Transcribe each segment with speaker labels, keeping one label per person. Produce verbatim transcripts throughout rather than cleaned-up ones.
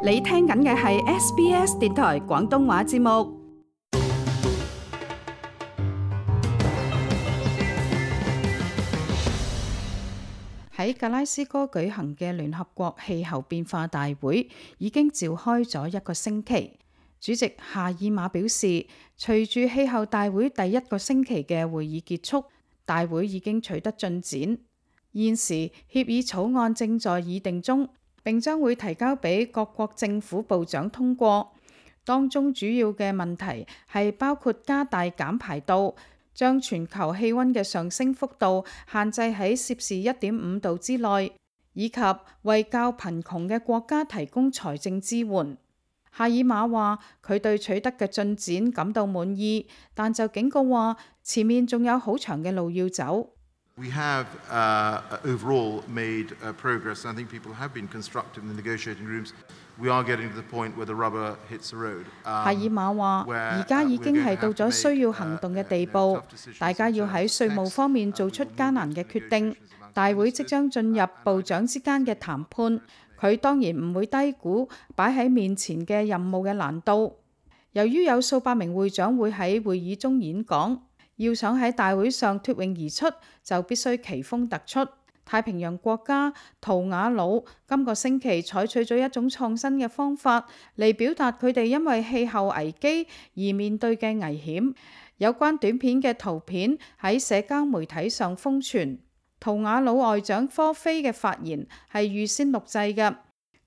Speaker 1: 你聽緊嘅係 S B S 電台廣東話節目。喺格拉斯哥舉行嘅聯合國氣候變化大會已經召開咗一個星期。主席夏爾馬表示，隨住氣候大會第一個星期嘅會議結束，大會已經取得進展。現時協議草案正在議定中，並將會提交俾各國政府部長通過。當中主要嘅問題係包括加大減排度，將全球氣溫嘅上升幅度限制喺攝氏一點五度之內，以及為較貧窮嘅國家提供財政支援。夏爾馬話佢對取得嘅進展感到滿意，但就警告話前面仲有好長嘅路要走。
Speaker 2: We have uh, overall made uh, progress, and I think people have been constructive in the negotiating rooms. We are getting to the point where the rubber hits the road.
Speaker 1: 夏爾馬話：而家已經係到咗需要行動嘅地步，大家要喺稅務方面做出艱難嘅決定。大會即將進入部長之間嘅談判，佢當然唔會低估擺喺面前嘅任務嘅難度。由於有數百名會長會喺會議中演講，要想喺大會上脫穎而出，就必須奇峰突出。太平洋國家圖瓦魯今個星期採取咗一種創新嘅方法嚟表達佢哋因為氣候危機而面對嘅危險。有關短片嘅圖片喺社交媒體上瘋傳。圖瓦魯外長科菲嘅發言係預先錄製嘅，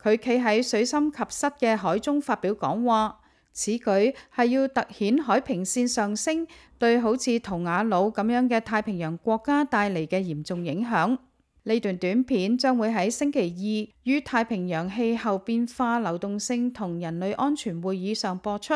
Speaker 1: 佢企喺水深及膝嘅海中發表講話。此舉係要突顯海平線上升對好似圖瓦魯咁樣嘅太平洋國家帶嚟嘅嚴重影響。呢段短片將會喺星期二於太平洋氣候變化、流動性同人類安全會議上播出。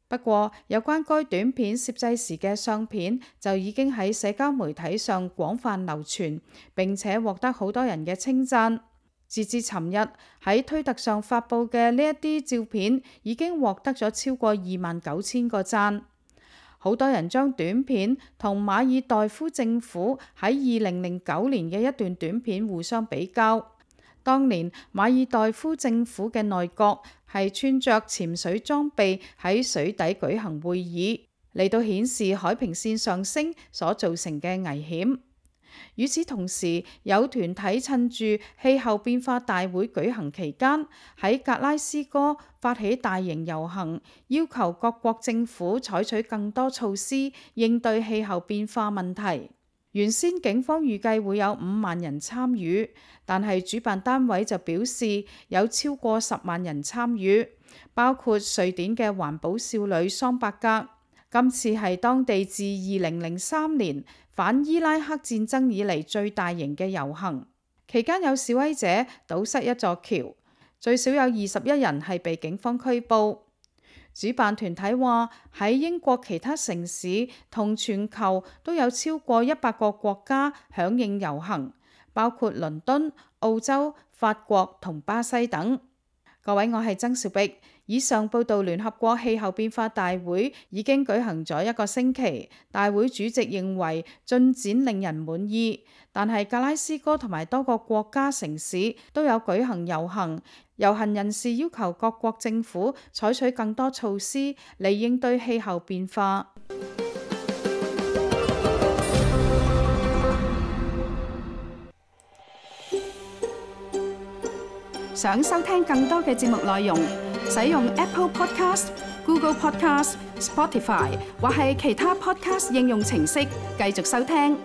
Speaker 1: 不過，有關該短片攝製時嘅相片就已經喺社交媒體上廣泛流傳，並且獲得好多人嘅稱讚。截至尋日喺推特上發布嘅呢一啲照片已經獲得咗超過二萬九千個讚。好多人將短片同馬爾代夫政府喺二零零九年嘅一段短片互相比較。當年馬爾代夫政府嘅內閣係穿着潛水裝備喺水底舉行會議，嚟到顯示海平線上升所造成嘅危險。與此同時，有團體趁住氣候變化大會舉行期間，喺格拉斯哥發起大型遊行，要求各國政府採取更多措施應對氣候變化問題。原先警方預計會有五萬人參與，但係主辦單位就表示有超過十萬人參與，包括瑞典嘅環保少女桑伯格。今次係當地自二零零三年反伊拉克戰爭以嚟最大型嘅遊行，期間有示威者堵塞一座橋，最少有二十一人係被警方拘捕。主辦團體話喺英國其他城市同全球都有超過一百個國家響應遊行，包括倫敦、澳洲、法國同巴西等。各位，我係曾兆碧。以上報道，聯合國氣候變化大會已經舉行咗一個星期，大會主席認為進展令人滿意，但係格拉斯哥同埋多個國家城市都有舉行遊行，遊行人士要求各國政府採取更多措施嚟應對氣候變化。想收聽更多嘅節目內容，使用 Apple Podcast、Google Podcast、Spotify 或係其他 Podcast 應用程式繼續收聽。